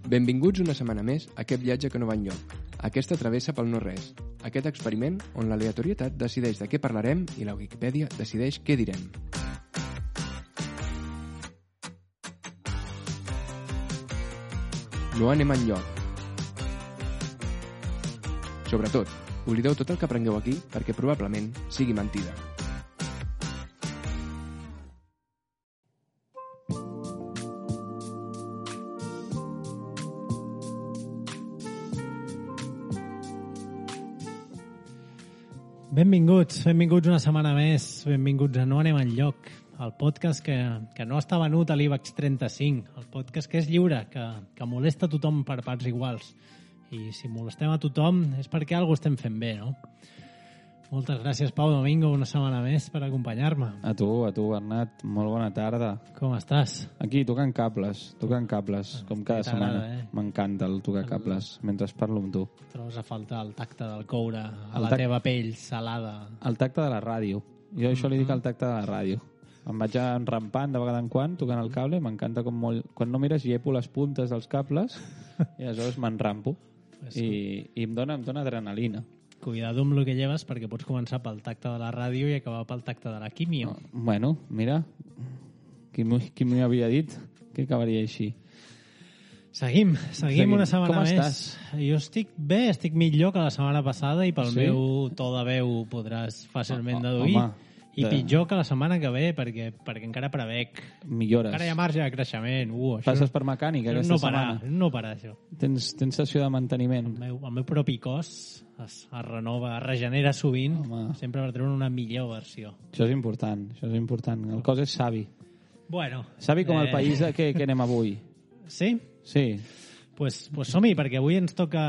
Benvinguts una setmana més a aquest viatge que no va enlloc, aquesta travessa pel no-res, aquest experiment on l'aleatorietat decideix de què parlarem i la Wikipedia decideix què direm. No anem enlloc. Sobretot, oblideu tot el que aprengueu aquí perquè probablement sigui mentida. Benvinguts una setmana més, benvinguts a No anem enlloc, el podcast que no està venut a l'IBEX 35, el podcast que és lliure, que molesta a tothom per parts iguals. I si molestem a tothom és perquè alguna cosa estem fent bé, no? Moltes gràcies, Pau Domingo, una setmana més per acompanyar-me. A tu, Bernat, molt bona tarda. Com estàs? Aquí, tocant cables, com cada setmana. M'encanta el tocar cables mentre parlo amb tu. Trobes a faltar el tacte del coure a la teva pell salada. El tacte de la ràdio. Jo això li dic el tacte de la ràdio. Em vaig enrampant de vegada en quan, tocant el cable, m'encanta com molt... Quan no mires, llepo les puntes dels cables i aleshores m'enrampo. I em dona adrenalina. Cuidado amb el que lleves perquè pots començar pel tacte de la ràdio i acabar pel tacte de la químio. Bueno, mira, qui m'ho havia dit que acabaria així. Seguim una setmana més. Com estàs? Jo estic bé, estic millor que la setmana passada i pel meu to de veu podràs fàcilment deduir. I pitjor que la setmana que ve perquè encara prevec millores. Encara hi ha marge de creixement. Passes per mecànica aquesta setmana? No parar, això. Tens sessió de manteniment? El meu propi cos es renova, es regenera sovint, sempre per treure una millor versió. Això és important. El cos és savi. Bueno. Savi com el país que anem avui. Sí? Sí. Pues som-hi, perquè avui ens toca,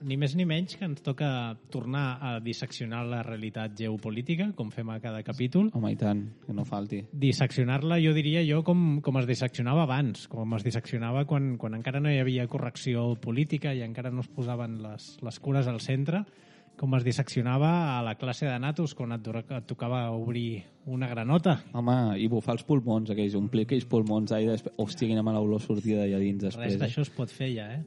ni més ni menys, que ens toca tornar a disseccionar la realitat geopolítica, com fem a cada capítol. Home, i tant, que no falti. Disseccionar-la, jo diria com es disseccionava abans, com es disseccionava quan encara no hi havia correcció política i encara no es posaven les cures al centre, com es disseccionava a la classe de natos quan et tocava obrir una granota. Home, i bufar els pulmons, omplir aquells pulmons d'aire, hòstia, quina mala olor sortida d'allà dins després. Res d'això es pot fer ja, eh?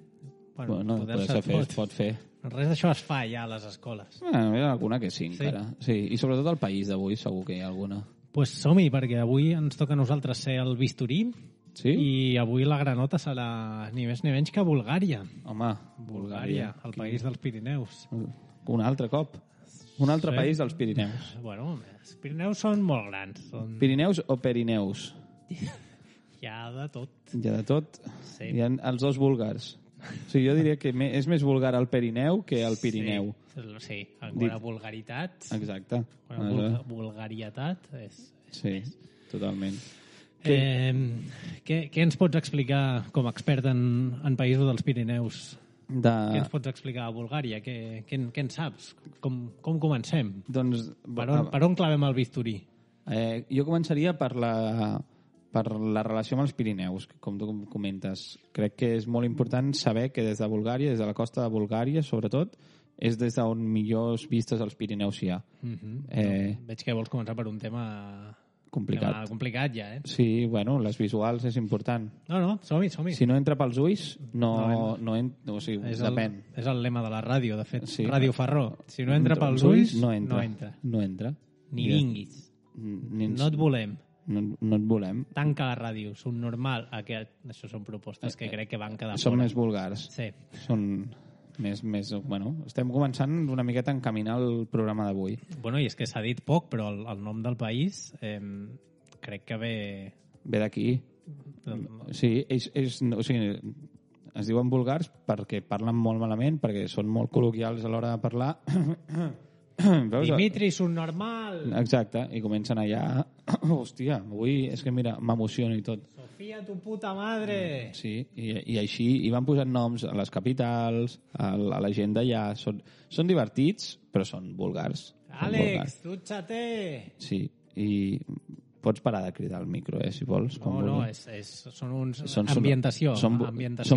Bueno, es pot fer. Res d'això es fa ja a les escoles. Hi ha alguna que sí, encara. Sí, i sobretot al país d'avui segur que hi ha alguna. Pues som-hi, perquè avui ens toca a nosaltres ser el bisturí. Sí? I avui la granota serà ni més ni menys que Bulgària. Home, Bulgària. El país dels Pirineus. Un altre cop. Un altre país dels Pirineus. Bueno, els Pirineus són molt grans. Pirineus o Perineus? Hi ha de tot. Hi ha de tot? Sí. Hi ha els dos búlgars. O sigui, jo diria que és més vulgar el Perineu que el Pirineu. Sí, en quant a vulgaritat. Exacte. Vulgarietat és sí, totalment. Què ens pots explicar com a expert en països dels Pirineus? Què ens pots explicar a Bulgària? Què en saps? Com comencem? Doncs, per on clavem el bisturí? Jo començaria per la relació amb els Pirineus, com tu comentes. Crec que és molt important saber que des de Bulgària, des de la costa de Bulgària, sobretot, és des d'on millors vistes als Pirineus hi ha. Veig que vols començar per un tema... complicat ja, eh? Sí, bueno, les visuals és important. No, som-hi. Si no entra pels ulls, no entra. O sigui, depèn. És el lema de la ràdio, de fet. Sí. Ràdio Ferró. Si no entra pels ulls, no entra. Ni vinguis. No et volem. No et volem. Tanca la ràdio. Són normal. Això són propostes que crec que van quedar Són més vulgars. Sí. Són... Bueno, estem començant una miqueta a encaminar el programa d'avui. Bueno, i és que s'ha dit poc, però el nom del país crec que ve... Ve d'aquí. Sí, o sigui, es diuen vulgars perquè parlen molt malament, perquè són molt col·loquials a l'hora de parlar. Veus? Dimitri, subnormal! Exacte, i comencen allà... Hòstia, avui és que mira, m'emociono i tot. Sofia, tu puta madre! Sí, i així, i van posant noms a les capitals, a la gent d'allà. Són divertits, però són vulgars. Àlex, dutxa-te! Sí, i pots parar de cridar al micro, si vols. Són uns... Ambientació. Són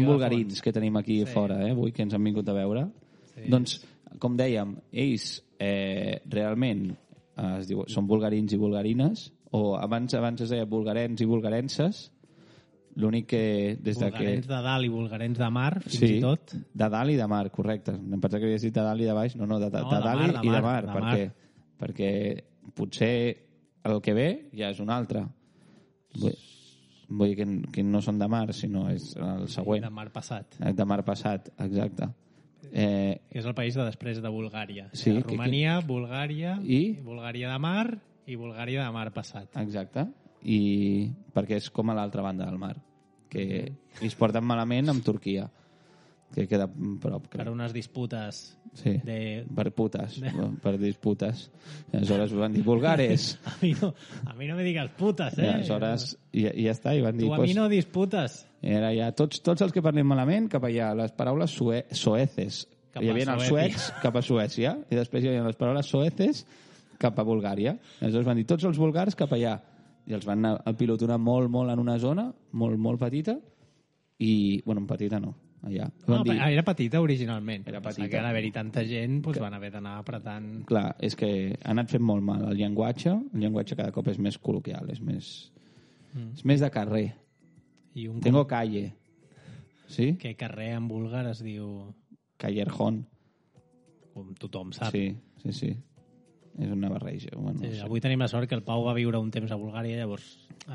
vulgarins que tenim aquí fora, avui, que ens han vingut a veure. Sí. Doncs, com dèiem, ells realment són vulgarins i vulgarines, o abans es deia vulgarens i vulgarenses, L'únic que des de que... Bulgarens de dalt i bulgarens de mar, fins Sí, i tot. de dalt i de mar, correcte. Em pensava que havies dit de dalt i de baix. No, de de dalt mar, i de mar. de Per mar. què? Perquè potser el que ve ja és un altre. Vull dir que no són de mar, sinó és el següent. De mar passat. De mar passat, exacte. Que és el país de després de Bulgària. Sí, Romania, Bulgària, I? Bulgària de mar i Bulgària de mar passat. Exacte. I perquè és com a l'altra banda del mar, que es porten malament amb Turquia, que queda prop. Per unes disputes Sí, de... per putes, per disputes. I aleshores van dir, bulgares. A mi no me digues putes, I aleshores, i ja està, i van dir... Tu a mi no disputes. Era ja tots els que parlem malament, cap allà, les paraules soeces. Cap Hi a havia els Suècia. suecs cap a Suècia, i després hi havia les paraules soeces cap a Bulgària. Aleshores van dir, tots els bulgars cap allà. I els van anar al pilotonar molt en una zona, molt petita, i, bueno, petita no, allà. No, era petita originalment. Era Passa petita. que ara haver-hi tanta gent, doncs van haver d'anar apretant... Clar, és que ha anat fent molt mal el llenguatge cada cop és més col·loquial, és més de carrer. I un Tengo calle. Sí? que carrer en búlgar es diu... Callerjón. Com tothom sap. Sí. És una barreja. Bueno, Sí, no sé. avui tenim la sort que el Pau va viure un temps a Bulgària, llavors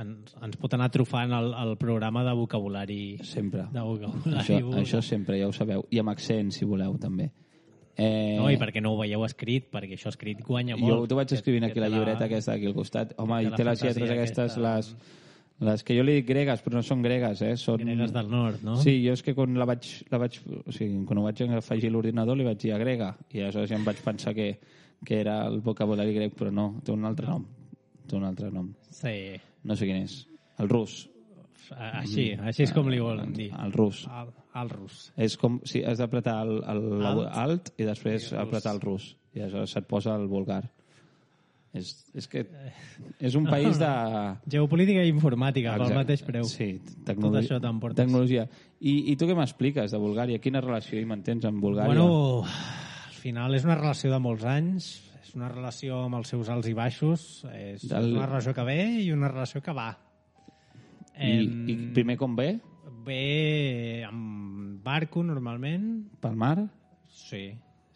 ens pot anar trufant el programa de vocabulari. Sempre. De vocabulari búlgar. Això sempre, ja ho sabeu. I amb accent, si voleu, també. No, i perquè no ho veieu escrit, perquè això escrit guanya molt. Jo t'ho vaig escrivint aquí, la llibreta aquesta aquí al costat. Home, i té les lletres aquestes, les que jo li dic gregues, però no són gregues, Són... Gregues del nord, no? Sí, jo és que quan o sigui, quan ho vaig afegir a l'ordinador li vaig dir a grega, i aleshores ja em vaig pensar que era el vocabulari grec, però no, té un altre nom. Té un altre nom. Sí. No sé quin és. El rus. Així és com li volen dir. El rus. El rus. És com si has d'apretar alt i després apretar el rus. I aleshores se't posa el vulgar. És que és un país de... Geopolítica i informàtica, pel Exacte. mateix preu. Sí, Tot això t'emportes. tecnologia. I tu què m'expliques de Bulgària? Quina relació hi mantens amb Bulgària? Bueno, al final és una relació de molts anys, és una relació amb els seus alts i baixos, és una relació que ve i una relació que va. I primer com ve? Ve amb barco, normalment. Pel mar? Sí,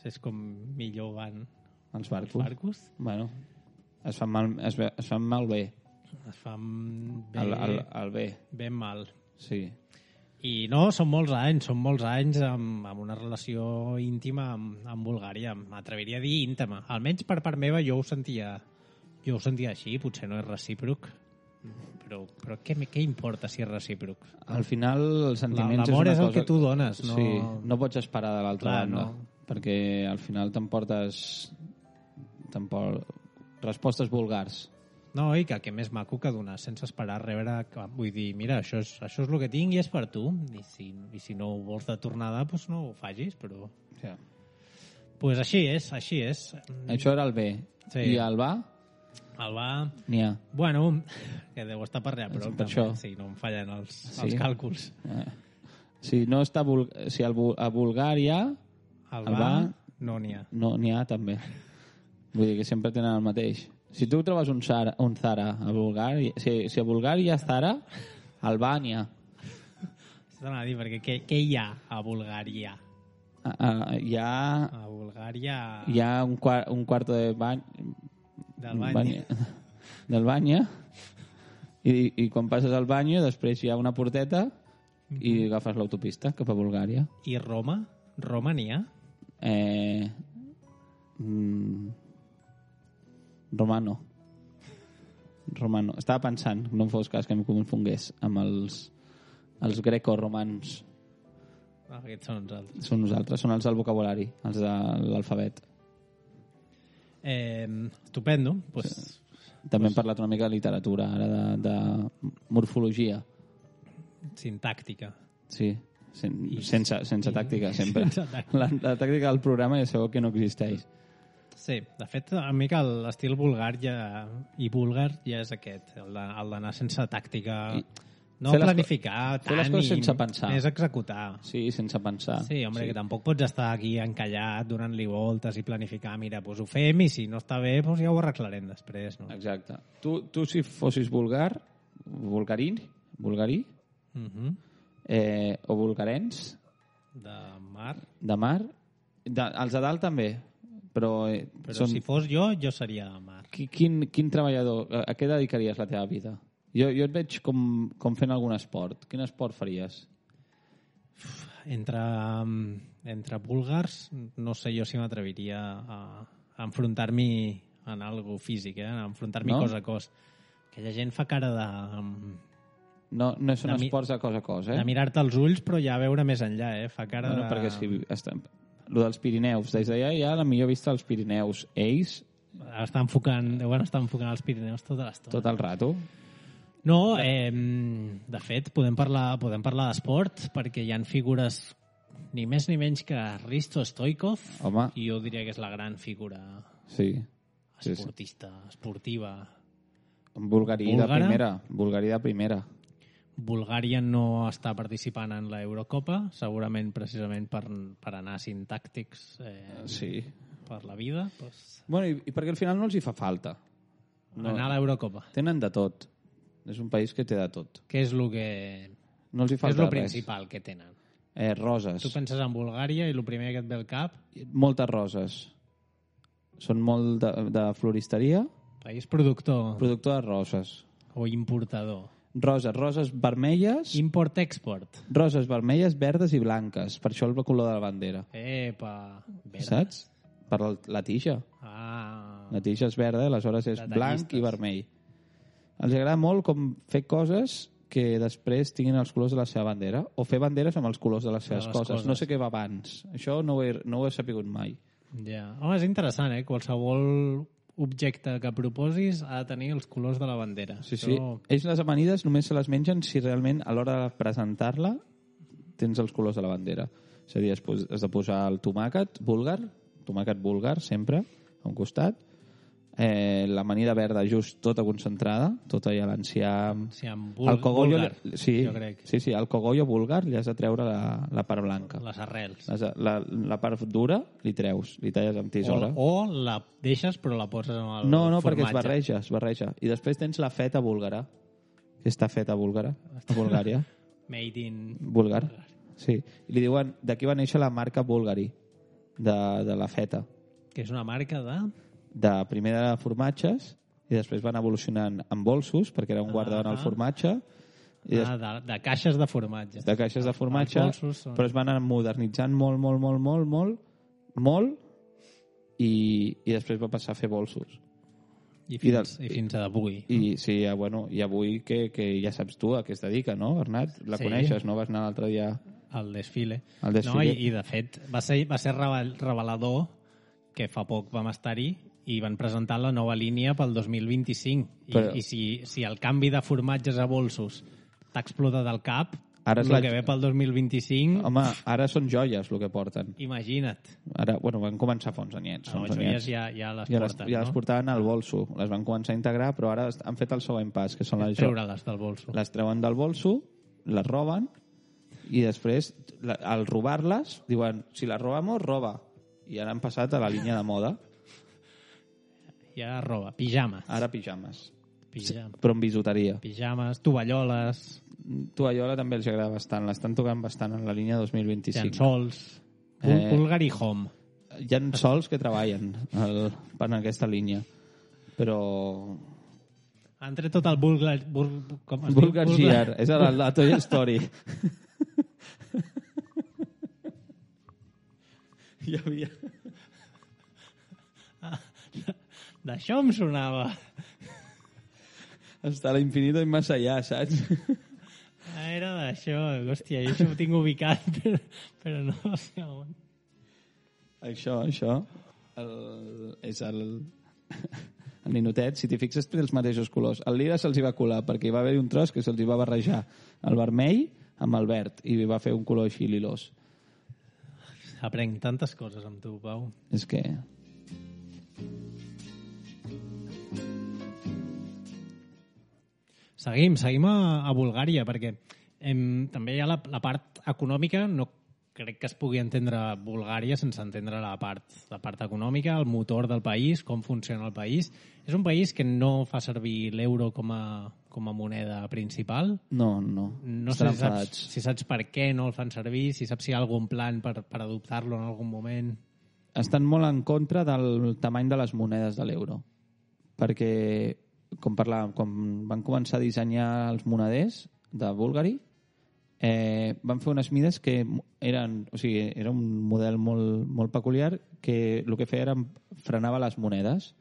és com millor van Els barcos? els barcos. Bueno, es fan mal bé. Es fan bé, El bé, ben mal. sí. I no, són molts anys amb una relació íntima amb Bulgària. M'atreviria a dir íntima. Almenys per part meva jo ho sentia així, potser no és recíproc. Però què importa si és recíproc? Al final, els sentiments L'amor és el cosa... que tu dones, no... Sí, no pots esperar de l'altra Clar, banda. no. Perquè al final t'emportes respostes vulgars. No, i que més maco que donar sense esperar rebre... Vull dir, mira, això és el que tinc i és per tu. I si no ho vols de tornada, doncs no ho facis, però... Sí. Pues així és. Això era el bé. Sí. I el va? El va... N'hi ha. Bueno, que deu estar per allà, però Per això. sí, no em fallen els Sí? càlculs. Si no està a Bulgària, El El va, va- no n'hi ha. no n'hi ha també. Vull dir que sempre tenen el mateix. Si tu trobes un Zara a Bulgària, si a Bulgària hi ha Zara, al va n'hi ha. S'ha a dir, perquè què hi ha a Bulgària? Hi ha A Bulgària... un cuarto de bany... Del bany. Del bany, i quan passes al bany després hi ha una porteta i agafes l'autopista cap a Bulgària. I Roma? Roma n'hi ha? Romano. Estava pensant, no em fos cas que em confongués amb els greco-romans. Aquests són uns altres. Són nosaltres, són els del vocabulari, els de l'alfabet. Estupendo. Pues, També hem parlat una mica de literatura, ara de morfologia. sintàctica. Sí, sense tàctica, sempre. Sense tàctica. La tàctica del programa ja sabeu que no existeix. Sí, de fet, a mi que l'estil vulgar i búlgar ja és aquest, el d'anar sense tàctica, no fer les planificar fer les tant coses i sense pensar. més executar. Sí, sense pensar. Sí, home, que tampoc pots estar aquí encallat donant-li voltes i planificar, mira, doncs ho fem i si no està bé, doncs ja ho arreglarem després, no? Exacte. Tu si fossis vulgarí, o bulgarens, De mar. de mar. Els de dalt també, però Si fos jo seria de mar. Quin treballador, a què dedicaries la teva vida? Jo et veig com fent algun esport. Quin esport faries? Entre búlgars, no sé jo si m'atreviria a enfrontar-m'hi en algo físic, a enfrontar-m'hi No? cos a cos. Aquella gent fa cara No són esports de cos a cos, de mirar-te als ulls, però ja veure més enllà, fa cara Bueno, de... perquè lo dels Pirineus, des d'allà hi ha la millor vista dels Pirineus. Ells, deuen estar enfocant els Pirineus tota l'estona. tot el rato. No, de fet, podem parlar d'esport, perquè hi han figures ni més ni menys que Risto Stoikov, Home. i jo diria que és la gran figura Sí. esportiva. Bulgarí de primera. Bulgària no està participant en la Eurocopa, segurament precisament per anar sintàctics Sí. per la vida. Doncs, Bueno, i perquè al final no els hi fa falta. anar a l'Eurocopa. Tenen de tot. És un país que té de tot. Què és el que... No els hi Què és falta el res. principal que tenen? Roses. Tu penses en Bulgària i el primer que et ve al cap, Moltes roses. Són molt de floristeria, país productor productor de roses. o importador. Roses vermelles, Import-export. roses vermelles, verdes i blanques. Per això el color de la bandera. Epa, verdes. Saps? Per la tija. Ah, La tija és verda, aleshores és blanc i vermell. Els agrada molt com fer coses que després tinguin els colors de la seva bandera, o fer banderes amb els colors de les seves coses. No sé què va abans. Això no ho he sapigut mai. ja. Home, és interessant, Qualsevol objecte que proposis ha de tenir els colors de la bandera. Sí. Ells les amanides només se les mengen si realment a l'hora de presentar-la tens els colors de la bandera. És a dir, has de posar el tomàquet búlgar sempre, a un costat, l'amanida verda just tota concentrada, tota ja l'enciam... Sí, El cogollo, búlgar, jo crec. Sí, el cogollo búlgar li has de treure la part blanca. Les arrels. La part dura li treus, li talles amb tisora. O la deixes però la poses amb el No, formatge. perquè es barreja. I després tens la feta búlgara, que està feta búlgara, a Bulgària. Made in... Búlgar. Sí. I li diuen, d'aquí va néixer la marca Bulgari, de la feta. Que és una marca Primer de formatges, i després van evolucionant en bolsos, perquè era un guardaven el formatge, i de caixes de formatge. de caixes de formatge, Els bolsos són... però es van anar modernitzant molt, i després va passar a fer bolsos. I fins a avui. I sí, i avui que ja saps tu a què es dedica, no, Bernat? La coneixes, no? Vas anar l'altre dia... El desfile. El desfile. No, i de fet va ser revelador que fa poc vam estar-hi i van presentar la nova línia pel 2025. I si el canvi de formatges a bolsos t'ha explotat al cap, Ara el que ve pel 2025... Home, ara són joies el que porten. Imagina't. Ara, van començar fa uns anyets. No, joies ja les porten, ja les portaven al bolso. Les van començar a integrar, però ara han fet el següent pas, que són les treure-les del bolso. Les treuen del bolso, les roben, i després, al robar-les, diuen, si les robamos, roba. I ara han passat a la línia de moda. I ara roba. Pijames. Ara pijames. Pijames. Però en bisuteria. Pijames, tovalloles... Tovallola també els agrada bastant. L'estan tocant bastant en la línia 2025. Llençols. Bulgari Home. Hi ha sols que treballen per aquesta línia. Però... Han tret tot el Bulgar... Bulgar Gear. És la Toy Story. Hi havia... D'això em sonava. Hasta l'infinito i més allà, saps? Era d'això. Hòstia, jo això ho tinc ubicat, però no sé on. Això. És el ninotet. Si t'hi fixes, té els mateixos colors. El lila se'ls hi va colar, perquè hi va haver un tros que se'ls hi va barrejar el vermell amb el verd, i va fer un color així lilós. Aprenc tantes coses amb tu, Pau. És que... Seguim a Bulgària, perquè també hi ha la part econòmica. No crec que es pugui entendre Bulgària sense entendre la part econòmica, el motor del país, com funciona el país. És un país que no fa servir l'euro com com a moneda principal. No. No sé Estan si saps, enfadats. si saps per què no el fan servir, si saps si hi ha algun plan per adoptar-lo en algun moment. Estan molt en contra del tamany de les monedes de l'euro. Perquè, com parlàvem, quan van començar a dissenyar els moneders de Bulgari, van fer unes mides que eren... O sigui, era un model molt peculiar que el que feia era frenava les monedes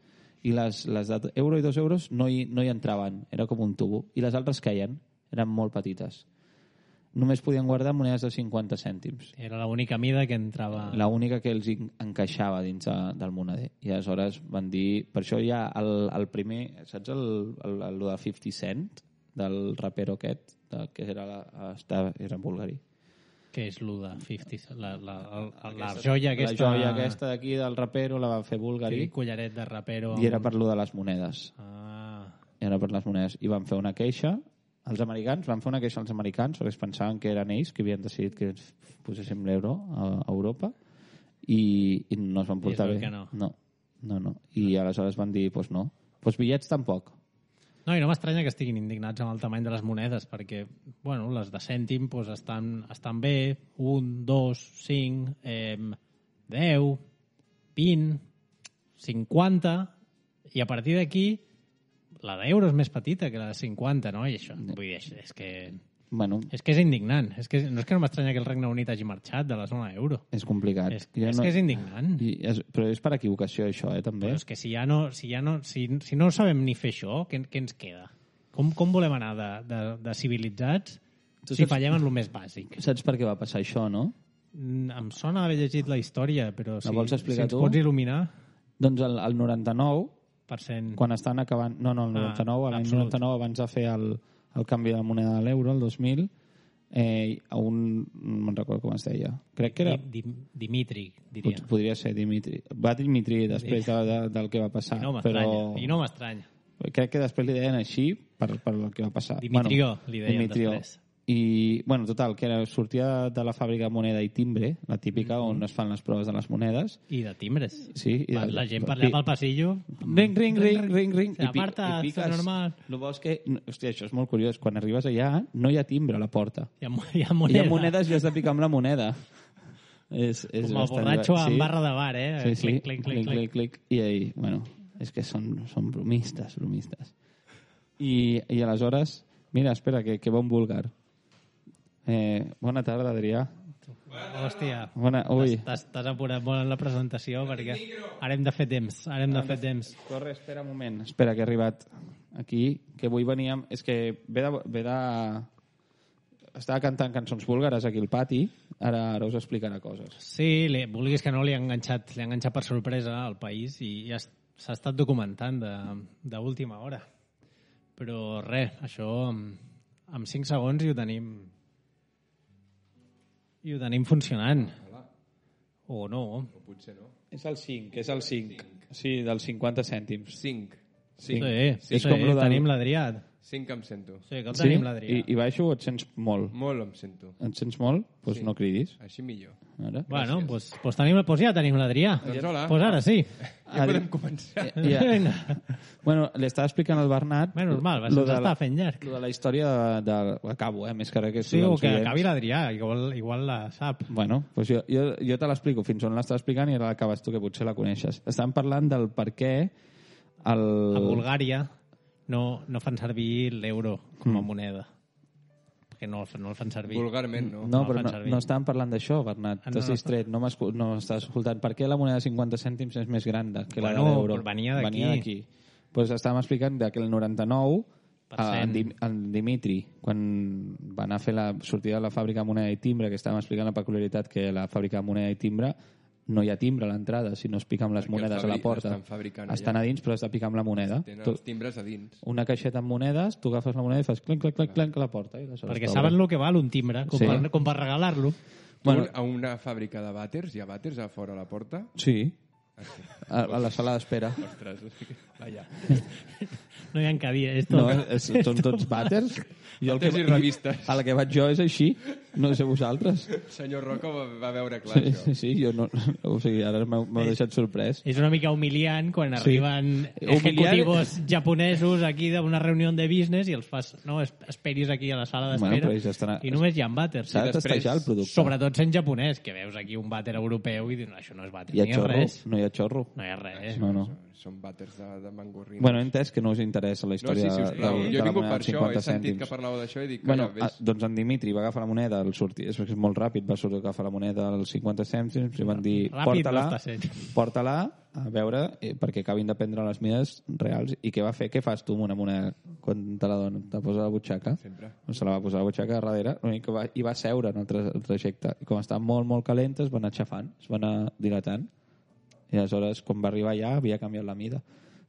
i les d'euro i 2 euros no hi entraven, era com un tubo. I les altres queien, eren molt petites. Només podien guardar monedes de 50 cèntims. Era l'única mida que entrava... L'única que els encaixava dins del moneder. I aleshores van dir... Per això hi ha el primer... Saps el de 50 Cent? Del rapero aquest, que era bulgari. Què és l'1 de 50? La joia aquesta... La joia aquesta d'aquí del rapero la va fer bulgari. Collaret de rapero. I era per lo de les monedes. Era per les monedes. I van fer una queixa. Els americans van fer una queixa als americans perquè es pensaven que eren ells que havien decidit que poséssim l'euro a Europa i no es van portar bé. No. I aleshores van dir, doncs no. Doncs bitllets tampoc. No, i no m'estranya que estiguin indignats amb el tamany de les monedes, perquè, bueno, les de cèntim doncs, estan bé, 1, 2, 5, 10, 20, 50, i a partir d'aquí la d'euro és més petita que la de 50, no? I això, vull dir, és que... Bueno, és que és indignant. No és que no m'estranya que el Regne Unit hagi marxat de la zona euro. És complicat. És que és indignant. Però és per equivocació, això, també. Però és que si no sabem ni fer això, què ens queda? Com volem anar de civilitzats si fallem en el més bàsic? Saps per què va passar això, no? Em sona haver llegit la història, però si vols explicar ens tu? pots il·luminar... Doncs el 99, % quan estan acabant... No, el 99, l'any 99, abans de fer el canvi de la moneda de l'euro, el 2000, a un... no me'n recordo com es deia. Crec que era... Dimitri, diria. Podria ser Dimitri. Va Dimitri després del que va passar. I no m'estranya. Crec que després li deien així per el que va passar. Dimitrió, li deien després. I, bueno, total, que sortia de la fàbrica Moneda i Timbre, la típica on es fan les proves de les monedes. I de timbres. Sí. La gent parlava al passillo. Ring. Aparta, està normal. El bo és que, hòstia, això és molt curiós. Quan arribes allà, no hi ha timbre a la porta. Hi ha moneda. Hi ha monedes i has de picar amb la moneda. És com el borratxo en barra de bar, eh? Sí. Clic. I ahí, bueno, és que són bromistes. I aleshores, mira, espera, que bon búlgar. Bona tarda, Adrià. Hòstia, ui. t'has apurat molt en la presentació perquè ara hem de fer temps. Corre, espera un moment. Espera, que he arribat aquí, que avui veníem... És que ve de... Estava cantant cançons búlgares aquí al pati, ara us explicarà coses. Sí, vulguis que no, li ha enganxat per sorpresa al país i s'ha estat documentant d'última hora. Però res, això en 5 segons i ho tenim funcionant. O no. O potser no. És el 5. Sí, dels 50 cèntims. 5. Sí, tenim l'Adrià. 5 em sento. Sí, que el tenim l'Adrià. I baixo o et sents molt? Molt em sento. Et sents molt? Doncs no cridis. Així millor. Ara. Bueno, doncs ja tenim l'Adrià. Doncs hola. Doncs ara sí. Ja podem començar. Bueno, li estava explicant al Bernat... Normal, s'està fent llarg. Lo de la història acabo, més que res que... Sí, o que acabi l'Adrià, igual la sap. Bueno, doncs jo te l'explico fins on l'estava explicant i ara l'acabes tu, que potser la coneixes. Estàvem parlant del per què a Bulgària no fan servir l'euro com a moneda. Perquè no el fan servir. Vulgarment, no. No, però no estàvem parlant d'això, Bernat. T'has distret, no estàs escoltant. Per què la moneda de 50 cèntims és més gran que la d'euro? Venia d'aquí. Doncs estàvem explicant que el 99 en Dimitri, quan va anar a fer la sortida de la fàbrica de moneda i timbre, que estàvem explicant la peculiaritat que la fàbrica de moneda i timbre no hi ha timbre a l'entrada, si no es pica amb les monedes a la porta. Estan a dins, però has de picar amb la moneda. Tenen els timbres a dins. Una caixeta amb monedes, tu agafes la moneda i fas clenc a la porta. Perquè saben el que val un timbre, com per regalar-lo. Bueno, a una fàbrica de vàters, hi ha vàters a fora a la porta? Sí. A la sala d'espera. Ostres, vaja. No hi ha cadires. No, són tots vàters. Vàters i revistes. A la que vaig jo és així. No sé vosaltres. Senyor Roca va veure clar això. Sí, jo no... O sigui, ara m'heu deixat sorprès. És una mica humiliant quan arriben ejecutivos japonesos aquí d'una reunió de business i els fas, no, esperis aquí a la sala d'espera i només hi ha vàters. S'ha de testejar el producte. Sobretot sent japonès, que veus aquí un vàter europeu i dius, no, això no és vàter, Hi ha ni xorro? res. No hi ha xorro? No hi ha res. No. Són vàters de mangorrina. Bueno, he entès que no us interessa la No, història sí, sisplau. de Jo he la vingut moneda per de això, 50 he sentit cèntims. que parlàveu d'això i dic, Bueno, ves. doncs en Dimitri va agafar la moneda, és que és molt ràpid, va sortir a agafar la moneda als 50 cèntims i van dir, Ràpid no està sent. porta-la a veure perquè acabin de prendre les mides reals. I què va fer? Què fas tu amb una moneda quan te la donen? Te la posa a la butxaca? Sempre. Se la va posar a la butxaca a darrere i va seure en el trajecte. I com estava molt, molt calenta, es va anar aixafant, es va anar dilatant. I aleshores, quan va arribar allà, havia canviat la mida.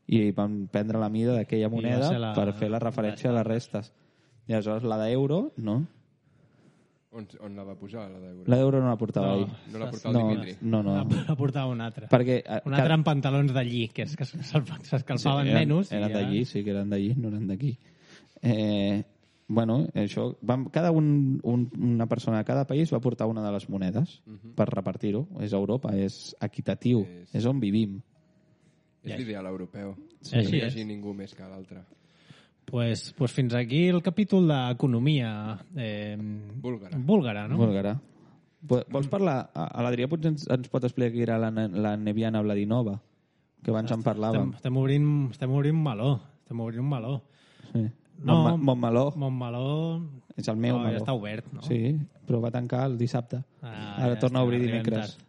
I van prendre la mida d'aquella moneda per fer la referència a les restes. I aleshores la d'euro, no? On la va posar, la d'euro? La d'euro no la portava ell. No la portava el Dimitri? No. La portava un altre. Perquè, un altre amb pantalons d'allí, que és que s'escalfaven menys. Eren d'allí, sí que eren d'allí, no eren d'aquí. Bueno, això, una persona de cada país va portar una de les monedes per repartir-ho. És Europa, és equitatiu, és on vivim. És l'ideal europeu. Sí, No hi hagi ningú més que l'altre. Pues fins aquí el capítol d'economia búlgara, no? Búlgara. Vols parlar? L'Adrià potser ens pot explicar qui era la Neviana Vladinova, que abans en parlàvem. Estem obrint un meló. Sí. No, Montmeló és el meu meló. ja està obert, no? Sí, però va tancar el dissabte. Ara ja torna a obrir arribem dimecres. tard.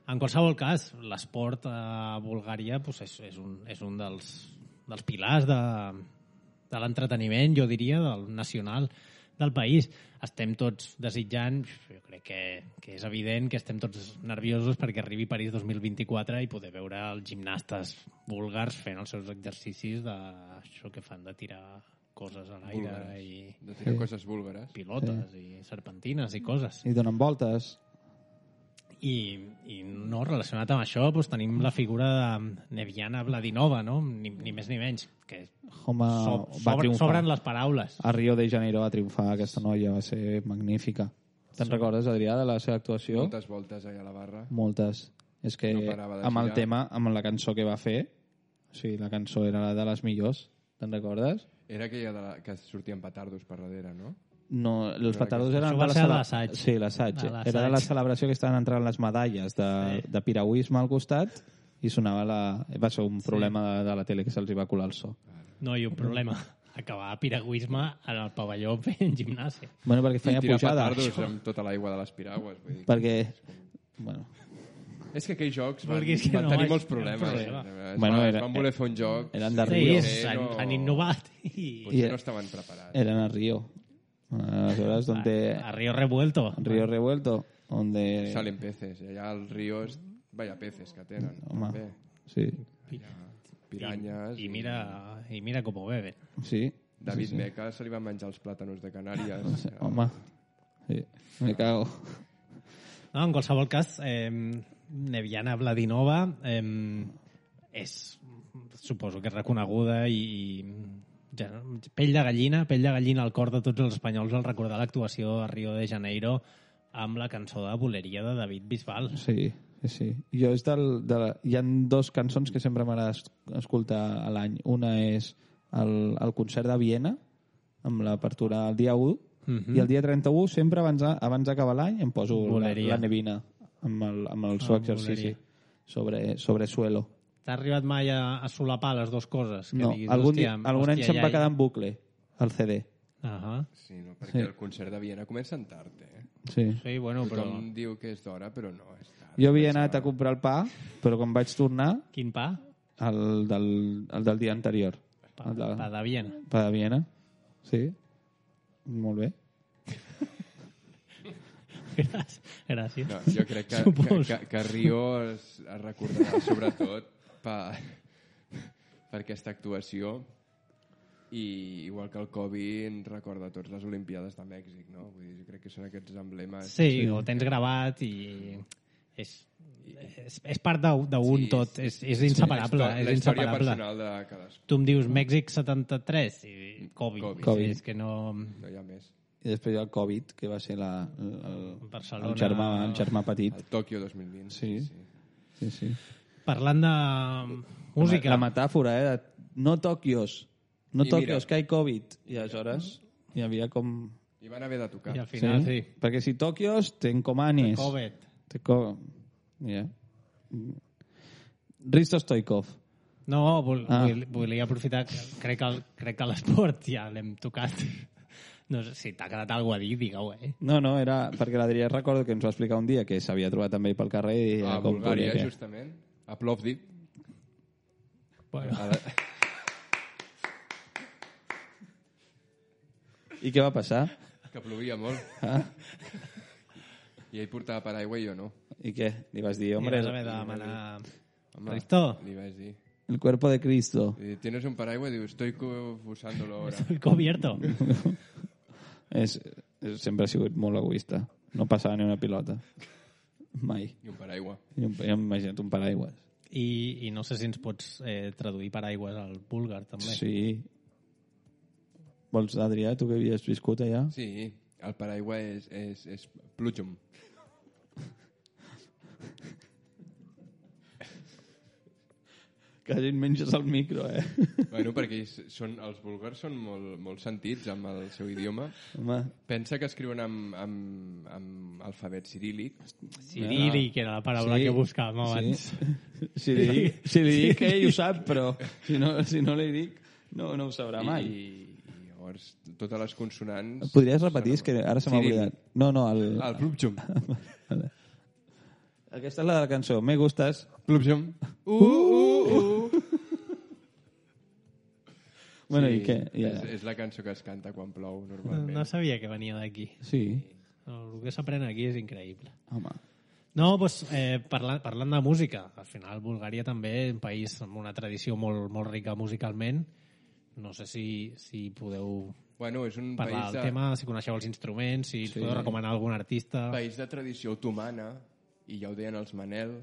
En qualsevol cas, l'esport a Bulgària pues, és un dels pilars de l'entreteniment, jo diria, del nacional del país. Estem tots desitjant, jo crec que és evident que estem tots nerviosos perquè arribi París 2024 i poder veure els gimnastes búlgars fent els seus exercicis d'això que fan, de tirar coses a l'aire i de tirar coses búlgares. pilotes i serpentines i coses. I donen voltes. I no, relacionat amb això doncs, tenim la figura de Neviana Vladinova, no? Ni més ni menys, que Home, va triomfar. sobren les paraules. A Rio de Janeiro va triomfar aquesta noia, va ser magnífica. Te'n recordes, Adrià, de la seva actuació? Moltes voltes allà a la barra. Moltes. És que No parava de amb el girar. tema, amb la cançó que va fer, sí, la cançó era de les millors, te'n recordes? Era aquella que sortien petardos per darrere, no? No, els petardos eren Això va de ser la l'assaig. Sí, l'assaig. De l'assaig. Era de la celebració que estaven entrant les medalles de piragüisme al costat i sonava va ser un problema de la tele que se'ls va colar el so. No hi ha un problema. Acabar piragüisme en el pavelló fent gimnàsia. Bueno, perquè I feia tirar pujada. petardos amb tota l'aigua de les piragües. Vull dir. Perquè, bueno, És que aquells jocs Vulguis que van no tenir hi molts hagi problemes. problema. Bueno, Es van voler fer un joc. eren de Sí, Rio. han innovat. I Potser no estaven preparats. Eren a Río. Aleshores, donde a Río Revuelto. Río Revuelto, donde Salen peces. I allà als rios, vaya peces que tenen. Home, També. sí, Piranyes. I mira com ho beben. sí. David Meca se li van menjar els plàtanos de Canàries. Home, sí, me cago. No, en qualsevol cas, Neviana Vladinova suposo que és reconeguda i ja, pell de gallina al cor de tots els espanyols al recordar l'actuació a Rio de Janeiro amb la cançó de Boleria de David Bisbal. Sí, sí. Jo és hi ha dues cançons que sempre m'agrada escoltar a l'any. Una és el concert de Viena, amb l'apertura el dia 1, i el dia 31, sempre abans d'acabar l'any, em poso la Nevina amb el seu exercici sobre suelo. T'ha arribat mai a solapar les dues coses? Que No, diguis, algun any se'm va quedar en bucle, el CD. Sí, no, perquè el concert de Viena comença tard, Sí. Sí, bueno, però... Tothom diu que és d'hora, però no, és tard. Jo havia anat a comprar el pa, però quan vaig tornar, Quin pa? el del dia anterior. Pa de Viena. Pa de Viena, sí. Molt bé. Gràcies. No, jo crec que Rio es recordarà sobretot per aquesta actuació i igual que el Covid ens recorda tots les Olimpiades de Mèxic, no? Vull dir, jo crec que són aquests emblemes. Sí, ho tens gravat i és part d'un tot, és inseparable. La És història inseparable. personal de cadascú. Tu em dius Mèxic 73 i Covid. Covid. És que no... No hi ha més. I després hi ha el Covid, que va ser Barcelona... el germà petit. El Tòquio 2020. Sí, sí. Parlant de música... La metàfora, de no Tòquios. No I Tòquios, mira. que hi ha Covid. I aleshores hi havia com... I van haver de tocar. I al final, sí. Perquè si Tòquios, ten Comanis. Covid. Yeah. Risto Stoikov. No, volia aprofitar... Crec que l'esport ja l'hem tocat. No sé si t'ha quedat alguna a dir, digue-ho, No, era perquè l'Adrià recordo que ens va explicar un dia que s'havia trobat també pel carrer i A com Bulgària, podia, justament. A Plovdiv. Bueno, I què va passar? Que plovia molt. Ah? I ell portava paraigua i jo no. I què? Li vas dir, li hombre, vas haver de demanar... Home, Risto? li vaig dir. el cuerpo de Cristo. I ¿tienes un paraigua? Diu, estoy usándolo ahora. Estoy cubierto. Sempre ha sigut molt egoista. No passava ni una pilota. Mai. I un paraigua. Ja m'he imaginat un paraigües. I no sé si ens pots traduir paraigües al búlgar, també. Sí. Vols, Adrià, tu que havies viscut allà? Sí, el paraigua és plujum. Quasi et menges el micro, Bueno, perquè els búlgars són molt sentits amb el seu idioma. Home, Pensa que escriuen amb alfabet ciríl·lic. Cirílic era la paraula que buscàvem abans. Si li dic ell ho sap, però si no li dic no ho sabrà mai. I llavors totes les consonants... Podries repetir? És que ara se m'ha Ciríl·lic. oblidat. No, El plujum. Aquesta és la de la cançó. Me gustes. Plujum. Bueno, Sí, i què? és la cançó que es canta quan plou, normalment. No sabia que venia d'aquí. Sí. El que s'aprèn aquí és increïble. Home. No, doncs, parlant de música, al final Bulgària també és un país amb una tradició molt, molt rica musicalment. No sé si podeu Bueno, és un parlar país del tema, si coneixeu els instruments, si podeu recomanar algun artista. país de tradició otomana, i ja ho deien els Manel.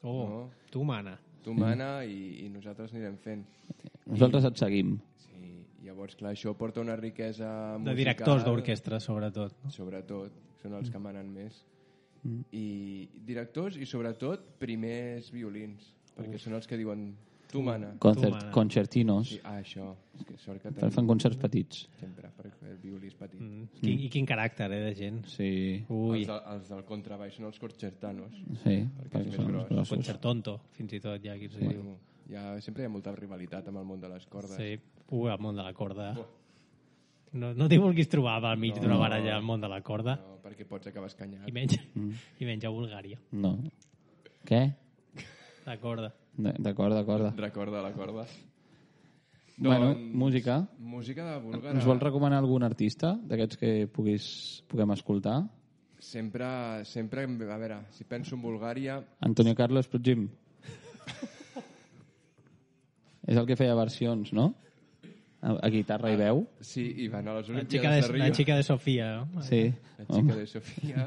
Oh, no? tu mana. Otomana, i nosaltres anirem fent. Nosaltres et seguim. Sí, llavors, clar, això porta una riquesa musical. De directors d'orquestra, sobretot. No? Sobretot, són els que manen més. I directors i, sobretot, primers violins, perquè són els que diuen tu mana. mana. Concertinos. Sí, això. És que sort que Fan concerts petits. sempre, perquè el violí és petit. I quin caràcter, de gent. Sí. Ui, Els del contrabaix són els concertanos. Sí. Perquè és més són gros. grossos. concertonto, fins i tot, ja qui s'ho diu. Bueno, sempre hi ha molta rivalitat amb el món de les cordes. Sí, el món de la corda. No t'hi vulguis trobar al mig d'una baralla al món de la corda. No, perquè pots acabar escanyat. I menys a Bulgària. No. Què? La corda. D'acord. Recorda la corda. Bueno, música. Música de búlgara. Ens vols recomanar algun artista d'aquests que puguem escoltar? Sempre, a veure, si penso en Bulgària... Antonio Carlos Prugim. És el que feia versions, no? A guitarra i veu. Sí, i van a les La Olimpiades de Rio. xica de Sofia. No? Sí. La xica de Sofia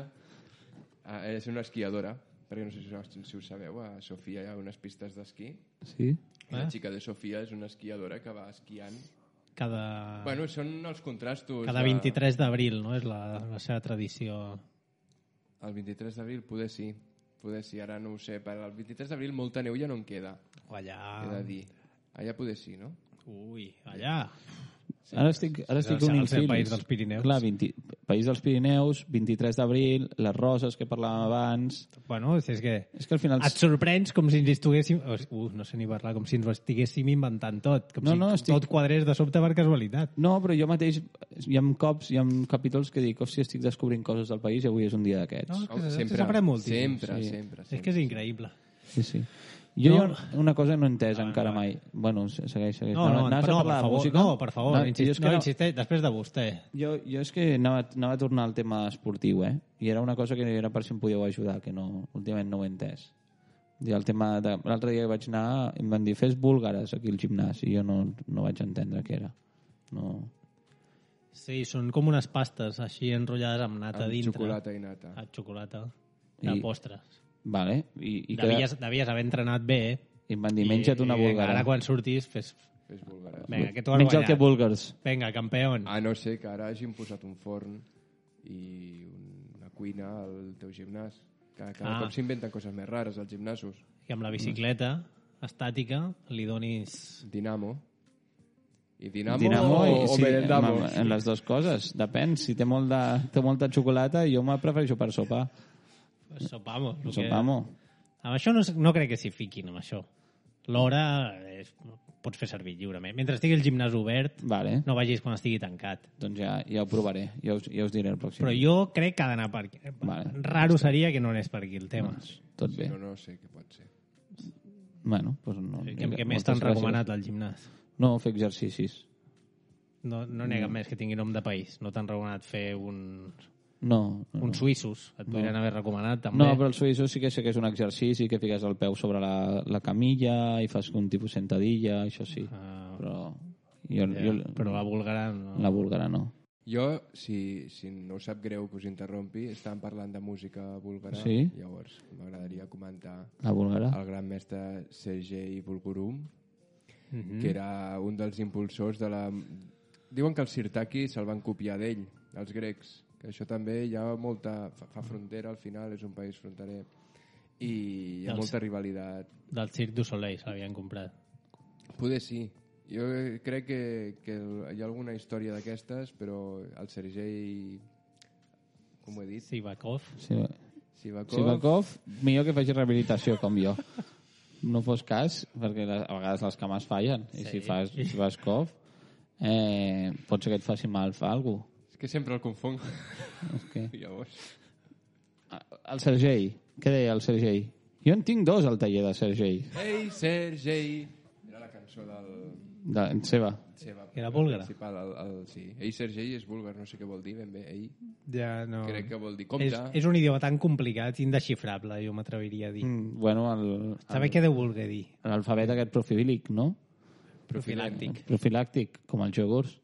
és una esquiadora, perquè no sé si ho sabeu, a Sofia hi ha unes pistes d'esquí. Sí? I la xica de Sofia és una esquiadora que va esquiant. Cada Bueno, són els contrastos. 23 d'abril, no? És la seva tradició. El 23 d'abril poder sí, ara no ho sé. Per al 23 d'abril molta neu ja no en queda, O allà... he de dir. Allà poder sí, no? Ui, allà. Ara estic unint el fils. país dels Pirineus. Clar, País dels Pirineus, 23 d'abril, les roses que parlàvem abans... Bueno, és que És que al final... et sorprens com si ens estiguéssim... no sé ni parlar, com si ens ho estiguéssim inventant tot. Com si tot quadrés de sobte per casualitat. No, però jo mateix hi ha capítols que dic, hòstia, estic descobrint coses del país i avui és un dia d'aquests. No, és que s'aprèn moltíssim. Sempre. És que és increïble. Sí. Jo hi ha una cosa que no he entès encara mai. Bueno, segueix. Anaves a parlar de música? No, per favor, insisteix, després de vostè. Jo és que anava a tornar al tema esportiu, I era una cosa que era per si em podíeu ajudar, que no, últimament no ho he entès. I el tema l'altre dia que vaig anar em van dir, fes búlgares aquí al gimnàs, i jo no vaig entendre què era. No. Sí, són com unes pastes així enrotllades amb nata Amb dintre. xocolata i nata. Xocolata. De postres. Vale. I Devies haver entrenat bé, I em van dir, menja't una búlgara. Ara quan surtis, fes búlgares. Vinga, que tu has Menja el que guanyat. vulguis. Vinga, campeón. A no ser que ara hagin posat un forn i una cuina al teu gimnàs. Cada cop s'inventen coses més rares als gimnasos. I amb la bicicleta estàtica li donis... Dinamo. I Dinamo, Dinamo o sí, Merendamo. en les dues coses. Depèn. Si té molta xocolata, jo me prefereixo per sopar. Pues sopamos. Sopamo. Amb això no crec que s'hi fiquin, amb això. L'hora pots fer servir lliurement. Mentre estigui el gimnàs obert, Vale. no vagis quan estigui tancat. Doncs ja ho provaré. Ja us diré el pròxim. Però jo crec que ha d'anar per aquí. Vale. Raro seria que no anés per aquí el tema. Tot bé. No sé què pot ser. Bueno, doncs no. Què més t'han recomanat al gimnàs? No, fer exercicis. No n'hi ha cap més que tingui nom de país. No t'han recomanat fer uns Uns suïssos. Et podrien haver recomanat, també. No, però el suïsso sí que sé que és un exercici, que fiques el peu sobre la camilla i fas un tipus sentadilla, això sí. Però però la búlgara no. La búlgara no. Jo, si no us sap greu que us interrompi, estàvem parlant de música búlgara, Sí? llavors m'agradaria comentar La búlgara? el gran mestre Sergei Bulgurum, que era un dels impulsors de la... Diuen que els sirtaki se'l van copiar d'ell, els grecs, que això també hi ha molta... fa frontera, al final és un país fronterer, i hi ha molta rivalitat. Del Cirque du Soleil se l'havien comprat. Poder sí. Jo crec que hi ha alguna història d'aquestes, però el Sergei... Com ho he dit? Sivakov. Sivakov, millor que faci rehabilitació com jo. No fos cas, perquè a vegades les cames fallen. I si fas Sivakov, pot ser que et faci mal fa alguna cosa. És que sempre el confonc. Okay. Llavors... El Sergei. Què deia el Sergei? Jo en tinc dos al taller de Sergei. Ei, Sergei! Era la cançó del... Seva. Era búlgara? Sí. Ei, Sergei és búlgar, no sé què vol dir ben bé. Ei, Ja, no. crec que vol dir compte. És un idioma tan complicat, indesxifrable, jo m'atreviria a dir. Bueno, Saber què deu voler dir? l'alfabet aquest profilíc, no? Profilàctic. Profilàctic, com els iogurts.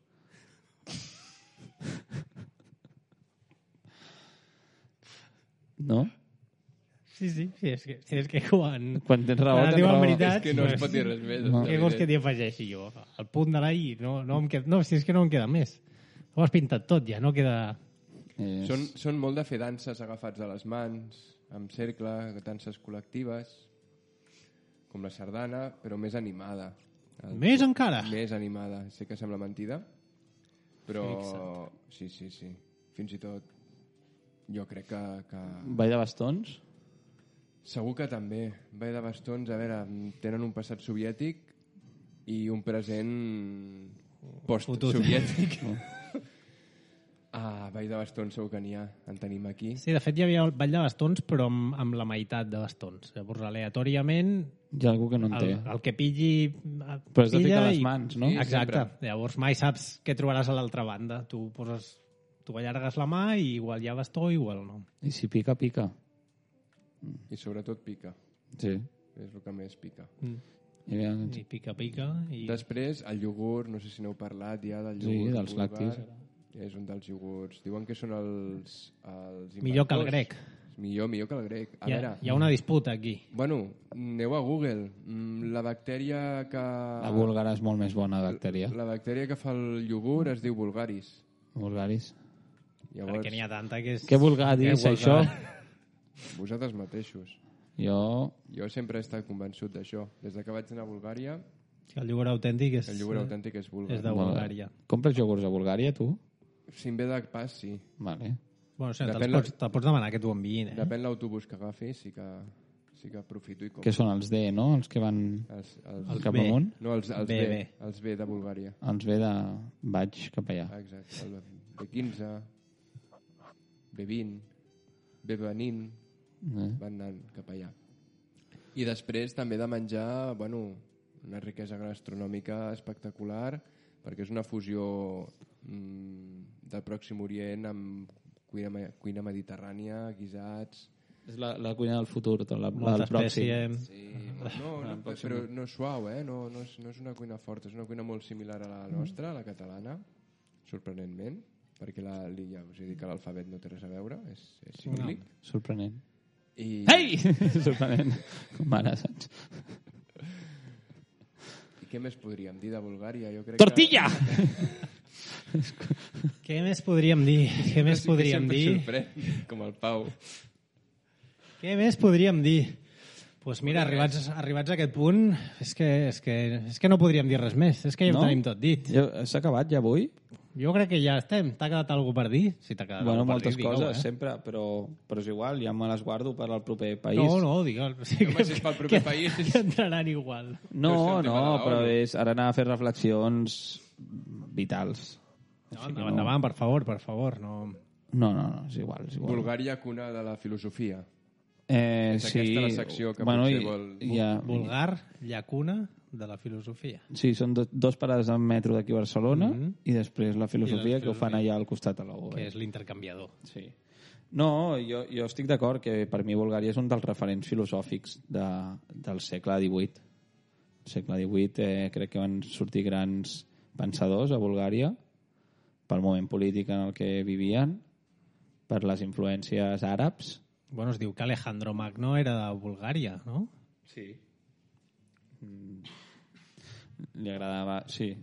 No? Sí, és que quan Quan tens raó, es tens diuen raó. veritats... És que no es pot dir res més. Què vols que t'hi afegeixi jo? El punt de la I, no em queda... No, si és que no em queda més. Ho has pintat tot ja, no queda... Són molt de fer danses agafats a les mans, amb cercle, danses col·lectives, com la sardana, però més animada. Més encara? Més animada. Sé que sembla mentida, però... Sí. Fins i tot jo crec que... Ball de bastons? Segur que també. Ball de bastons, a veure, tenen un passat soviètic i un present post-soviètic. Ball de bastons segur que n'hi ha, en tenim aquí. Sí, de fet hi havia el ball de bastons, però amb la meitat de bastons. Llavors, aleatòriament, Hi ha algú que no en té. el que pilli... Però has de ficar les mans, no? Sí, Exacte. sempre. Llavors mai saps què trobaràs a l'altra banda. Tu allargues la mà i igual hi ha bastó, igual no. I si pica, pica. I sobretot pica. Sí. És el que més pica. I pica. I... Després, el iogurt, no sé si n'heu parlat ja del Sí, iogurt. dels búlgar. lactis. És un dels iogurts. Diuen que són els Millor que el inventors. grec. Millor que el grec. A veure, Hi ha una disputa aquí. bueno, aneu a Google. La bactèria que... La búlgara és molt més bona, bactèria. La bactèria que fa el iogurt es diu vulgaris. Vulgaris. Llavors, Perquè n'hi ha tanta que és... Què vulgaris, això? vosaltres mateixos. Jo sempre he estat convençut d'això. Des de que vaig anar a Bulgària, El iogurt autèntic és... el iogurt autèntic és búlgar. És de Bulgària. Compres iogurts a Bulgària, tu? Si em ve de pas, sí. Vale. Bueno, o sigui, Depèn te'ls pots demanar que t'ho enviïn, eh? Depèn l'autobús que agafi, sí que aprofito i compro. Que són els D, no? Els que van cap B. amunt? No, els B. B. Els B de Bulgària. Els B de... Vaig cap allà. Exacte. El B15, B20, B20, van anant cap allà. I després també de menjar, bueno, una riquesa gastronòmica espectacular, perquè és una fusió del Pròxim Orient amb cuina mediterrània, guisats... És la cuina del futur, Molta del pròxim. espècie... Sí, però no és suau, no és una cuina forta, és una cuina molt similar a la nostra, a la catalana, sorprenentment, perquè us he dit que l'alfabet no té res a veure, és ciríl·lic. Sorprenent. Ei! Sorprenent. Com ara, saps? I què més podríem dir de Bulgària? Jo crec Tortilla! Què més podríem dir? Què més podríem dir? Sorprèn, com el Pau. Què més podríem dir? Doncs mira, arribats a aquest punt, és que no podríem dir res més. És que ja ho tenim tot dit. S'ha acabat ja avui? Jo crec que ja estem. T'ha quedat alguna per dir? Si t'ha quedat alguna per moltes dir, coses, sempre, però és igual, ja me les guardo per al proper país. No, digue'l. Sí, Home, si és pel proper país... Que entraran igual. No, però és ara anar a fer reflexions vitals. No, endavant, per favor. No, és igual. Bulgària, cuna de la filosofia. És aquesta la secció que potser vol... Bulgar, llacuna de la filosofia. Sí, són dos parades en metro d'aquí a Barcelona i després la filosofia que ho fan allà al costat a l'OU. Que és l'intercanviador. Sí. No, jo estic d'acord que per mi Bulgària és un dels referents filosòfics del segle XVIII. Al segle XVIII crec que van sortir grans pensadors a Bulgària pel moment polític en el que vivien, per les influències àrabs. Bueno, es diu que Alejandro Magno era de Bulgària, no? Sí. Li agradava... Sí.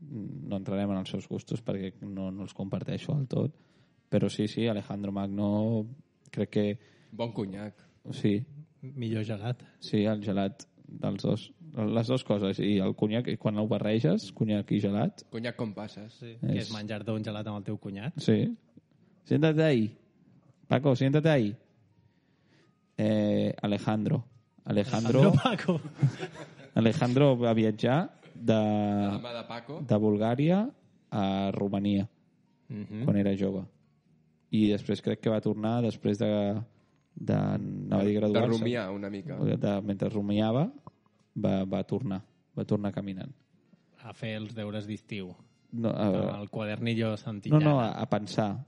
No entrarem en els seus gustos perquè no els comparteixo del tot, però sí, Alejandro Magno crec que... Bon conyac. Sí. Millor gelat. Sí, el gelat dels dos. Les dues coses. I el conyac, quan ho barreges, conyac i gelat... Conyac com passes. Sí. Que és menjar-te un gelat amb el teu cunyat. Sí. Siéntate ahí. Paco, siéntate ahí. Alejandro Paco. Alejandro va viatjar de Bulgària a Romania quan era jove. I després crec que va tornar després de anava a dir graduar-se. De rumiar una mica. Mentre rumiava va tornar caminant. A fer els deures d'estiu. No, el quadernillo Santillana. No, a pensar.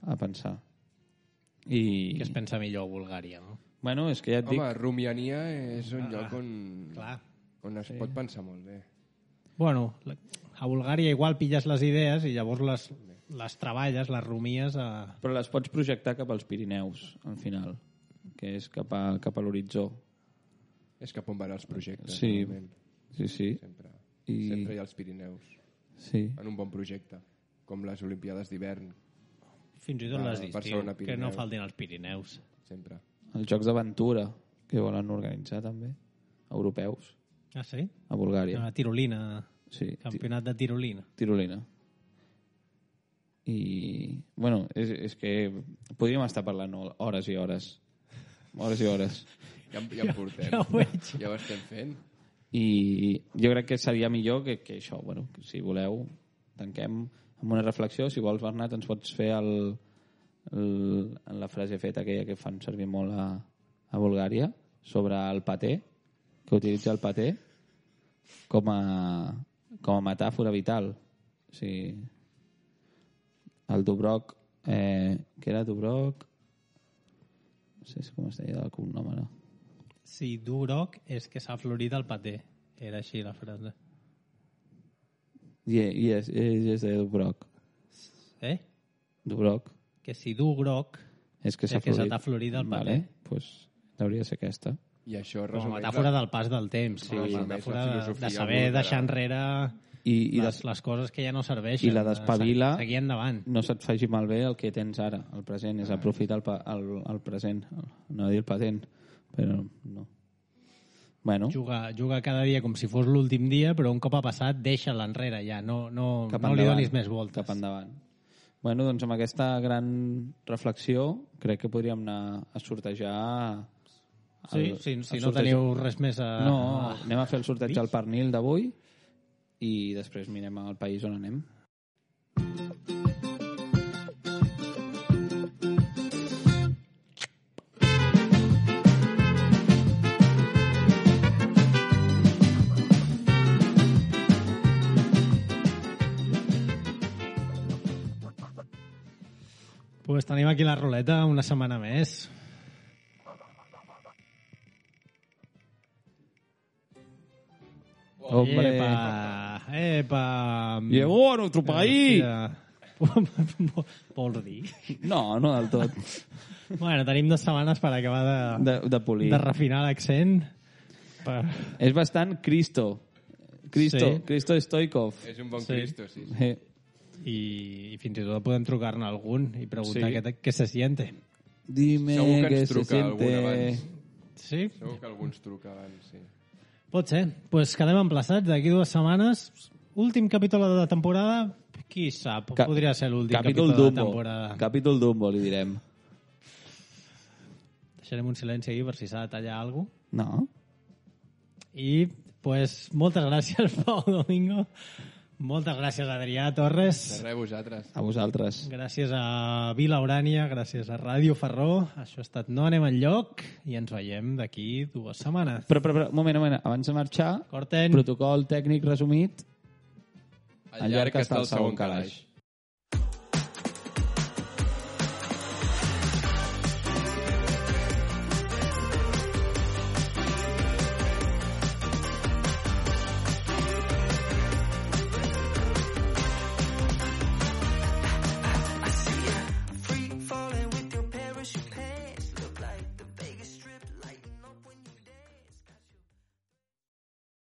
I... Que es pensa millor a Bulgària, no? Bueno, és que ja et dic... Home, Rumiania és un lloc on es pot pensar molt bé. Bueno, a Bulgària igual pilles les idees i llavors les treballes, les rumies a... Però les pots projectar cap als Pirineus, al final, que és cap a l'horitzó. És cap on van els projectes. Sí. Sempre hi ha els Pirineus. Sí. En un bon projecte, com les Olimpiades d'hivern. Fins i tot les d'estiu, que no faltin els Pirineus. Sempre. Els Jocs d'Aventura, que volen organitzar també, europeus. Ah, sí? A Bulgària. A Tirolina. Sí. Campionat de Tirolina. Tirolina. I, bueno, és que podríem estar parlant hores i hores. Hores i hores. Ja en portem. Ja ho veig. Ja ho estem fent. I jo crec que seria millor que això, bueno, que si voleu, tanquem amb una reflexió. Si vols, Bernat, ens pots fer la frase feta aquella que fan servir molt a Bulgària sobre el paté, que utilitza el paté com a metàfora vital. O sigui, el Dubroc, que era Dubroc, no sé com es deia el cognom ara. Sí, Dubroc és que s'ha florit el paté. Era així la frase. Yes, és de Dubroc. Dubroc. Que si du groc és que se t'ha florit el paté. Vale, pues hauria de ser aquesta. I això com a metàfora del pas del temps. Sí, com a metàfora de saber deixar enrere les coses que ja no serveixen. I la d'espavila, seguir endavant. No se't faci malbé el que tens ara, el present, és aprofitar el present. No dir el patent, però no. Bueno. Juga cada dia com si fos l'últim dia, però un cop ha passat, deixa-la enrere ja. No li donis més voltes. Cap endavant. Bueno, doncs amb aquesta gran reflexió crec que podríem anar a sortejar... Si no teniu res més a... No, anem a fer el sorteig del pernil d'avui i després mirem al país on anem. Pues tenim aquí la ruleta una setmana més. Hombre. Epa. Llegó a nuestro país. Vols dir? No, no del tot. Bueno, tenim 2 setmanes per acabar De polir. de refinar l'accent. És bastant Cristo. Sí. Cristo Stoikov. És un bon Sí. Cristo, sí. I fins i tot podem trucar-ne a algun i preguntar Sí. què se siente. Dime Segur que que ens se truca algun siente... abans. Sí? Segur que algú ens truca abans, sí. Pot ser. Doncs pues quedem emplaçats d'aquí 2 setmanes. Últim capítol de la temporada, qui sap? Podria ser l'últim capítol de la temporada. Capítol Dumbo, li direm. Deixarem un silenci aquí per si s'ha de tallar alguna cosa. No. I, pues, moltes gràcies, Pau Domingo. Moltes gràcies, Adrià Torres. De res, vosaltres. A vosaltres. Gràcies a Vila Urània, gràcies a Ràdio Ferró. Això ha estat No anem enlloc i ens veiem d'aquí 2 setmanes. Però, un moment. Abans de marxar, Corten. protocol tècnic resumit. Al llarg que està el segon calaix. Free falling with your parachute pants. Look like